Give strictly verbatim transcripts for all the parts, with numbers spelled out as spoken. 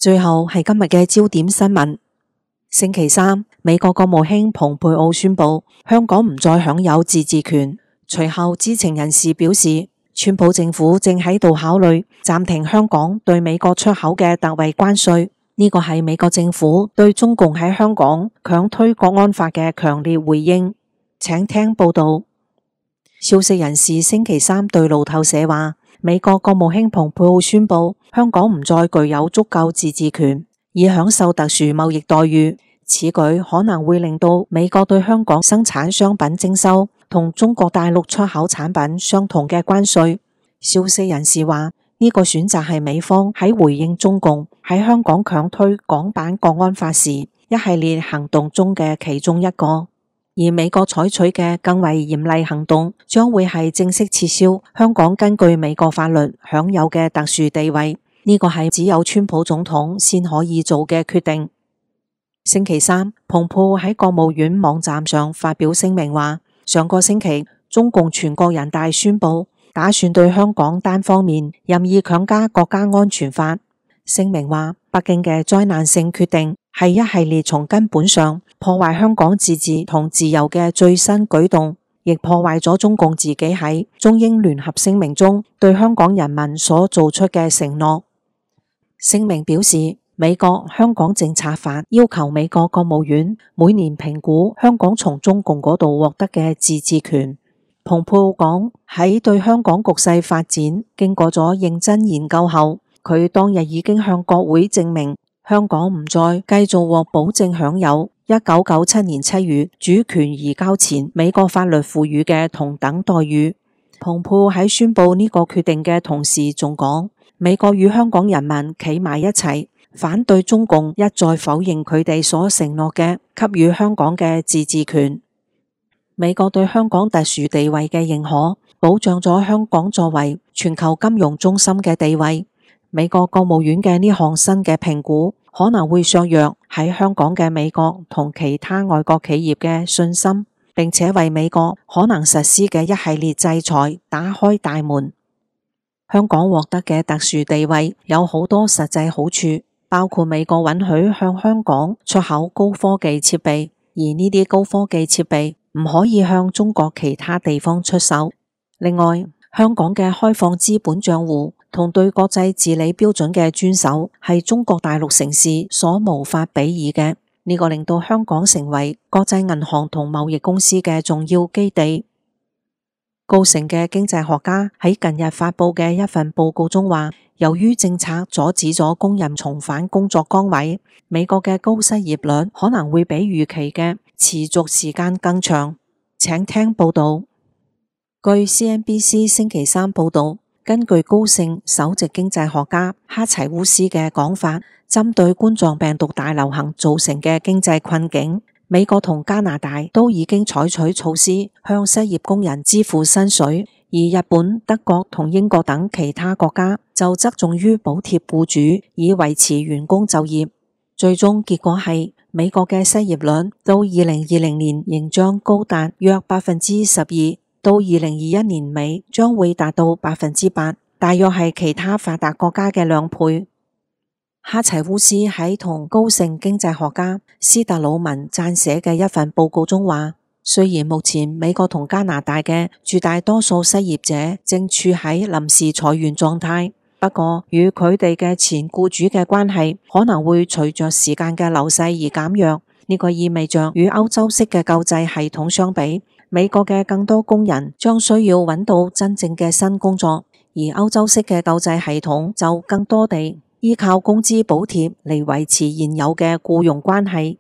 最後係今日嘅焦點新聞。星期三，美國國務卿蓬佩奧宣布香港唔再享有自治權。隨後，知情人士表示，川普政府正喺度考慮暫停香港對美國出口嘅特惠關稅。呢個係美國政府對中共喺香港強推國安法嘅強烈回應。請聽報道。消息人士星期三對路透社話，美國國務卿蓬佩奧宣布香港唔再具有足夠自治權，以享受特殊貿易待遇。此舉可能會令到美國對香港生產商品徵收同中國大陸出口產品相同嘅關稅。消息人士話，呢個選擇係美方喺回應中共喺香港強推港版國安法時一系列行動中嘅其中一個。而美國採取嘅更為嚴厲行動，將會係正式撤銷香港根據美國法律享有嘅特殊地位。呢個係只有川普總統先可以做嘅決定。星期三，蓬佩奧喺國務院網站上發表聲明話，上個星期中共全國人大宣布打算對香港單方面任意強加國家安全法。聲明話，北京嘅災難性決定係一系列從根本上破壞香港自治同自由嘅最新舉動，亦破壞咗中共自己喺中英聯合聲明中對香港人民所做出嘅承諾。聲明表示，美國香港政策法要求美國國務院每年評估香港從中共嗰度獲得嘅自治權。蓬佩奧講，喺對香港局勢發展經過咗認真研究後，佢當日已經向國會證明香港唔再繼續獲保證享有一九九七年七月主權移交前美國法律賦予嘅同等待遇。蓬佩奧喺宣布呢個決定嘅同時仲講，美國與香港人民企埋一齊，反對中共一再否認佢哋所承諾嘅給予香港嘅自治權。美國對香港特殊地位嘅認可，保障咗香港作為全球金融中心嘅地位。美國國務院嘅呢項新嘅評估，可能會削弱喺香港嘅美國同其他外國企業嘅信心，並且為美國可能實施嘅一系列制裁打開大門。香港獲得嘅特殊地位有好多實際好處，包括美國允許向香港出口高科技設備，而呢啲高科技設備唔可以向中國其他地方出售。另外，香港嘅開放資本賬戶同對國際治理標準嘅遵守係中國大陸城市所無法比擬嘅，呢個令到香港成為國際銀行同貿易公司嘅重要基地。高盛嘅經濟學家喺近日發佈嘅一份報告中話，由於政策阻止咗工人重返工作崗位，美國嘅高失業率可能會比預期嘅持續時間更長。請聽報道。據 C N B C 星期三報道，根據高盛首席經濟學家哈齊烏斯嘅講法，針對冠狀病毒大流行造成嘅經濟困境，美國同加拿大都已經採取措施向失業工人支付薪水，而日本、德國同英國等其他國家就側重於補貼僱主以維持員工就業。最終結果係美國嘅失業率到二零二零年仍將高達約百分之十二，到二零二一年尾將會達到百分之八，大約係其他發達國家嘅兩倍。哈齊烏斯喺同高盛經濟學家斯特魯文撰寫嘅一份報告中話，雖然目前美國同加拿大嘅絕大多數失業者正處喺臨時裁員狀態，不過與佢哋嘅前僱主嘅關係可能會隨着時間嘅流逝而減弱。呢個意味着與歐洲式嘅救濟系統相比，美國嘅更多工人將需要揾到真正嘅新工作，而歐洲式嘅救濟系統就更多地依靠工資補貼嚟維持現有嘅僱傭關係。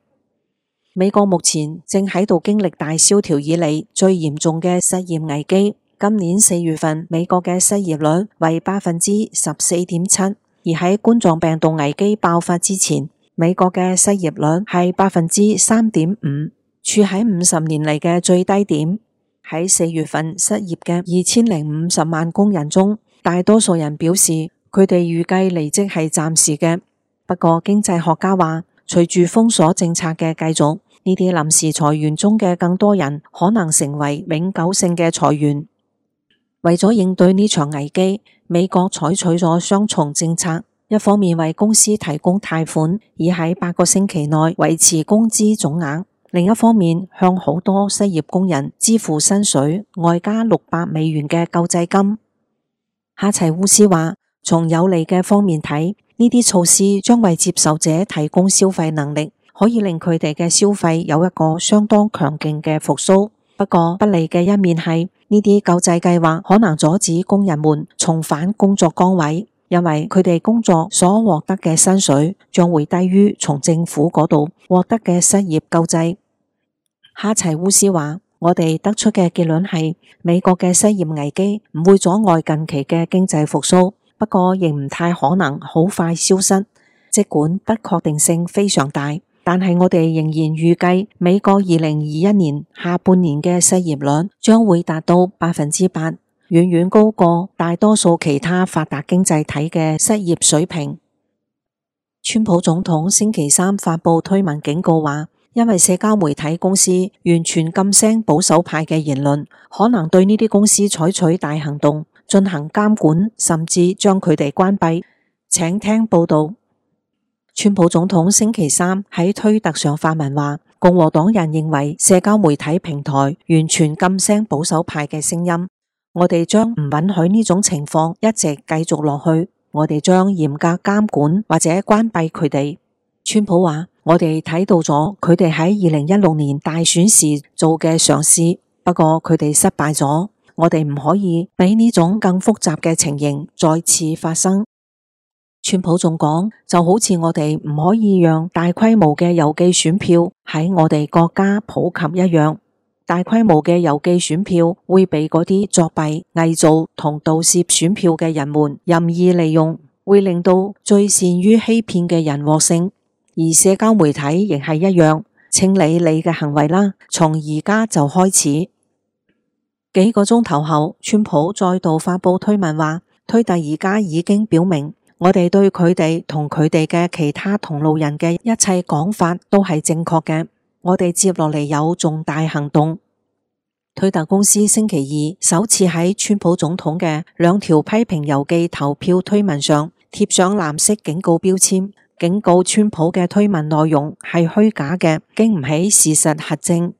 美國目前正喺度經歷大蕭條以嚟最嚴重嘅失業危機。今年四月份，美國嘅失業率為百分之十四點七，而喺冠狀病毒危機爆發之前，美國嘅失業率係百分之三點五，處喺五十年嚟嘅最低點。喺四月份失業嘅二千零五十萬工人中，大多數人表示佢哋預計離職係暫時嘅。不過經濟學家話，隨住封鎖政策嘅繼續，呢啲臨時裁員中嘅更多人可能成為永久性嘅裁員。為咗應對呢場危機，美國採取咗雙重政策。一方面為公司提供貸款，以喺八個星期內維持工資總額；另一方面向好多失業工人支付薪水，外加六百美元嘅救濟金。哈齊烏斯話，從有利嘅方面睇，呢啲措施將為接受者提供消費能力，可以令佢哋嘅消費有一個相當強勁嘅復甦。不過不利嘅一面係，呢啲救濟計劃可能阻止工人們重返工作崗位，因為佢哋工作所獲得嘅薪水將會低於從政府嗰度獲得嘅失業救濟。哈齊烏斯話，我哋得出嘅結論係，美國嘅失業危機唔會阻礙近期嘅經濟復甦，不過亦唔太可能好快消失。儘管不確定性非常大，但係我哋仍然預計美國二零二一年下半年嘅失業率將會達到百分之八，遠遠高過大多數其他發達經濟體嘅失業水平。川普總統星期三發布推文警告話，因為社交媒體公司完全禁聲保守派嘅言論，可能對呢啲公司採取大行動，進行監管，甚至將佢哋關閉。請聽報道。川普總統星期三喺推特上發文話，共和黨人認為社交媒體平台完全禁聲保守派嘅聲音，我哋將唔允許呢種情況一直繼續落去，我哋將嚴格監管或者關閉佢哋。川普話，我哋睇到咗佢哋喺二零一六年大選時做嘅嘗試，不過佢哋失敗咗。我哋唔可以俾呢種更複雜嘅情形再次發生。川普仲講，就好似我哋唔可以讓大規模嘅郵寄選票喺我哋國家普及一樣，大規模嘅郵寄選票會被嗰啲作弊、偽造同盜竊選票嘅人們任意利用，會令到最善於欺騙嘅人獲勝。而社交媒體亦係一樣，清理你嘅行為啦，從而家就開始。幾個鐘頭後，川普再度發布推文話，推特而家已經表明，我哋對佢哋同佢哋嘅其他同路人嘅一切講法都係正確嘅。我哋接落嚟有重大行動。推特公司星期二首次喺川普總統嘅兩條批評郵寄投票推文上貼上藍色警告標籤，警告川普嘅推文內容係虛假嘅，經唔起事實核證。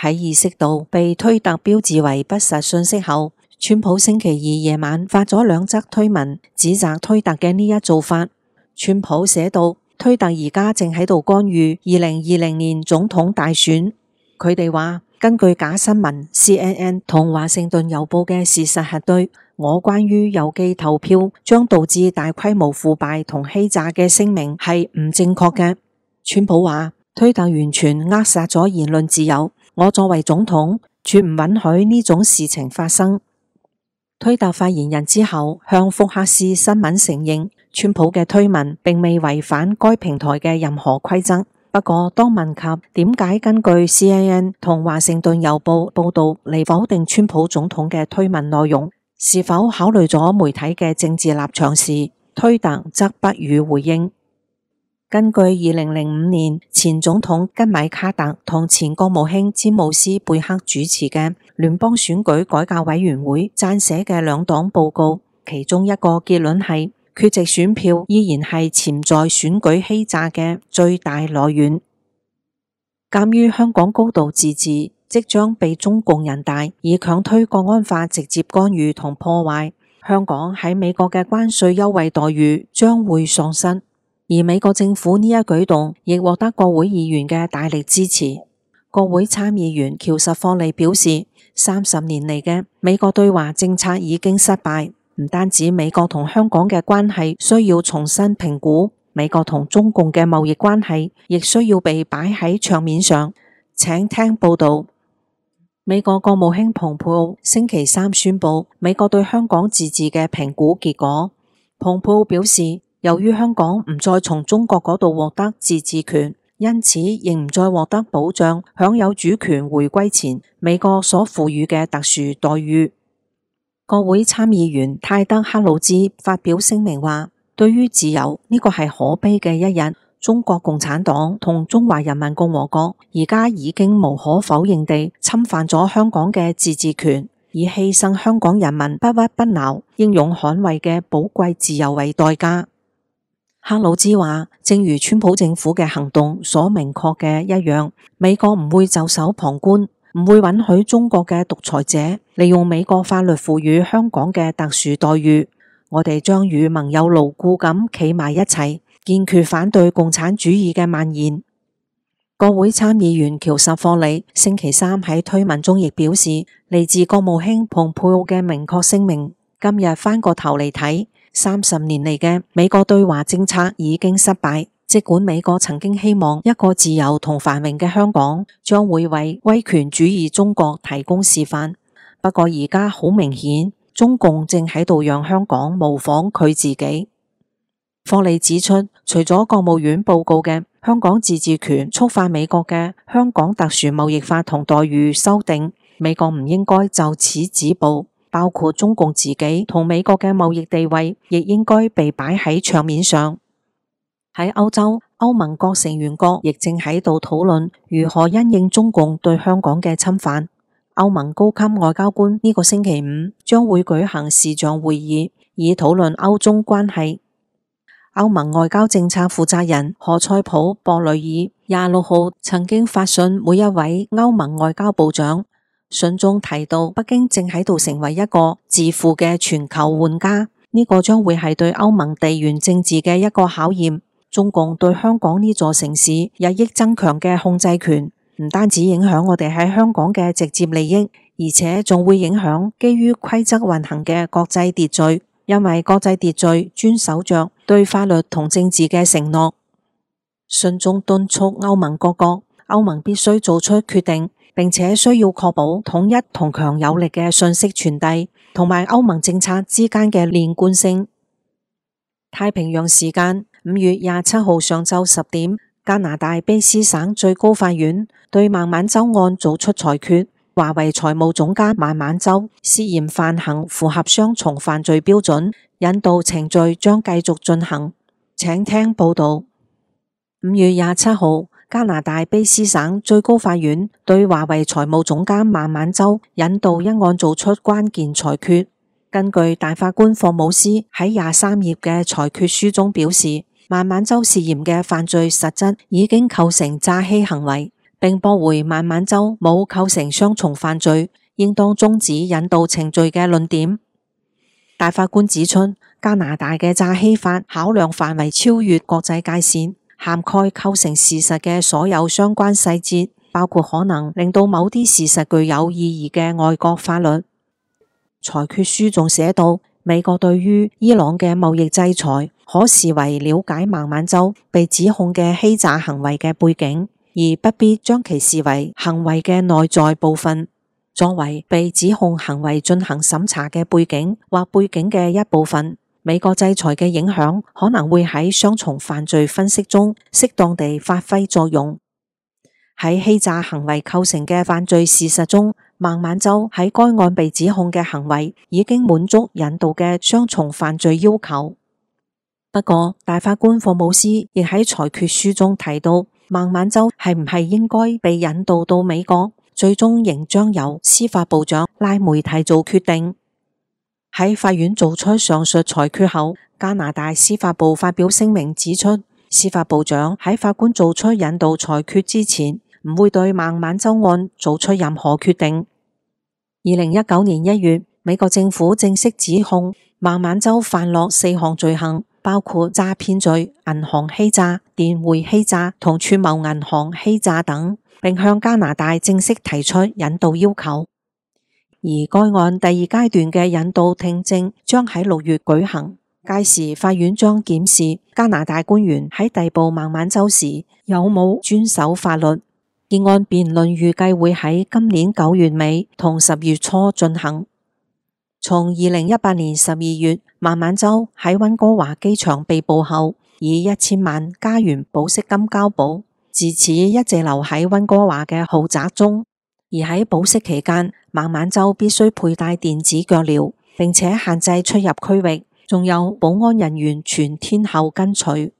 喺意識到被推特標誌為不實信息後，川普星期二夜晚發咗兩則推文，指責推特嘅呢一做法。川普寫道，推特而家正喺度干預二零二零年總統大選。佢哋話，根據假新聞 C N N 同華盛頓郵報嘅事實核對，我關於郵寄投票將導致大規模腐敗同欺詐嘅聲明係唔正確嘅。川普話，推特完全扼殺咗言論自由，我作為總統絕唔允許呢種事情發生。推特發言人之後向福克斯新聞承認，川普嘅推文並未違反該平台嘅任何規則。不過當問及點解根據 C N N 同華盛頓郵報報道嚟否定川普總統嘅推文內容，是否考慮咗媒體嘅政治立場時，推特則不予回應。根據二零零五年前總統吉米卡特同前國務卿詹姆斯貝克主持嘅聯邦選舉改革委員會撰寫嘅兩黨報告，其中一個結論係缺席選票依然係潛在選舉欺詐嘅最大來源。鑒於香港高度自治即將被中共人大以強推國安法直接干預同破壞，香港喺美國嘅關稅優惠待遇將會喪失。而美國政府呢一舉動亦獲得國會議員嘅大力支持。國會參議員喬什霍利表示，三十年嚟嘅美國對華政策已經失敗，唔單止美國同香港嘅關係需要重新評估，美國同中共嘅貿易關係亦需要被擺喺桌面上。請聽報道。美國國務卿蓬佩奧星期三宣布美國對香港自治嘅評估結果。蓬佩奧表示，由於香港唔再從中國嗰度獲得自治權，因此亦唔再獲得保障享有主權回歸前美國所賦予嘅特殊待遇。國會參議員泰德克魯茲發表聲明話，對於自由，呢個係可悲嘅一日。中國共產黨同中華人民共和國而家已經無可否認地侵犯咗香港嘅自治權，以犧牲香港人民不屈不撓、英勇捍衛嘅寶貴自由為代價。克魯茲話，正如川普政府嘅行動所明確嘅一樣，美國唔會袖手旁觀，唔會允許中國嘅獨裁者利用美國法律賦予香港嘅特殊待遇。我哋將與盟友牢固咁企埋一齊，堅決反對共產主義嘅蔓延。國會參議員喬什霍里星期三喺推文中亦表示，嚟自國務卿蓬佩奧嘅明確聲明，今日翻個頭嚟睇，三十年嚟嘅美國對華政策已經失敗。儘管美國曾經希望一個自由同繁榮嘅香港將會為威權主義中國提供示範，不過而家好明顯，中共正喺度讓香港模仿佢自己。霍里指出，除咗國務院報告嘅香港自治權觸犯美國嘅香港特殊貿易法同待遇修訂，美國唔應該就此止步，包括中共自己同美國嘅貿易地位，亦應該被擺喺桌面上。喺歐洲，歐盟各成員國亦正喺度討論如何因應中共對香港嘅侵犯。歐盟高級外交官呢個星期五將會舉行視像會議，以討論歐中關係。歐盟外交政策負責人何塞普·博雷爾廿六號曾經發信每一位歐盟外交部長，信中提到北京正喺度成為一個自負嘅全球玩家，呢、這個將會係對歐盟地緣政治嘅一個考驗。中共對香港呢座城市日益增強嘅控制權，唔單止影響我哋喺香港嘅直接利益，而且仲會影響基於規則運行嘅國際秩序。因為國際秩序遵守着對法律同政治嘅承諾。信中敦促歐盟各國，歐盟必須做出決定，並且需要確保統一同強有力嘅信息傳遞，同埋歐盟政策之間嘅連貫性。太平洋時間五月廿七號上晝十點，加拿大卑斯省最高法院對孟晚舟案作出裁決。華為財務總監孟晚舟涉嫌犯行符合雙重犯罪標準，引渡程序將繼續進行。請聽報道。五月廿七號，加拿大卑斯省最高法院對華為財務總監孟晚舟引渡一案做出關鍵裁決。根據大法官霍姆斯喺廿三頁嘅裁決書中表示，孟晚舟涉嫌嘅犯罪實質已經構成詐欺行為，並駁回孟晚舟冇構成雙重犯罪，應當終止引渡程序嘅論點。大法官指出，加拿大嘅詐欺法考量範圍超越國際界線，涵蓋構成事實嘅所有相關細節，包括可能令到某啲事實具有意義嘅外國法律。裁決書仲寫到，美國對於伊朗嘅貿易制裁可視為了解孟晚舟被指控嘅欺詐行為嘅背景，而不必將其視為行為嘅內在部分。作為被指控行為進行審查嘅背景或背景嘅一部分，美國制裁嘅影響可能會喺雙重犯罪分析中適當地發揮作用。喺欺詐行為構成嘅犯罪事實中，孟晚舟喺該案被指控嘅行為已經滿足引渡嘅雙重犯罪要求。不過，大法官霍姆斯亦喺裁決書中提到，孟晚舟係唔係應該被引渡到美國，最終仍將由司法部長拉梅提做決定。喺法院做出上述裁決後，加拿大司法部發表聲明指出，司法部長喺法官做出引渡裁決之前，唔會對孟晚舟案做出任何決定。二零一九年一月，美國政府正式指控孟晚舟犯落四項罪行，包括詐騙罪、銀行欺詐、電匯欺詐同串謀銀行欺詐等，並向加拿大正式提出引渡要求。而該案第二階段嘅引渡聽證將喺六月舉行，屆時法院將檢視加拿大官員喺逮捕孟晚舟時有冇遵守法律。結案辯論預計會喺今年九月尾同十月初進行。從二零一八年十二月孟晚舟喺溫哥華機場被捕後，以一千萬加元保釋金交保，自此一直留喺溫哥華嘅豪宅中。而喺保釋期間，孟晚舟必須佩戴電子腳鐐，並且限制出入區域，仲有保安人員全天候跟隨。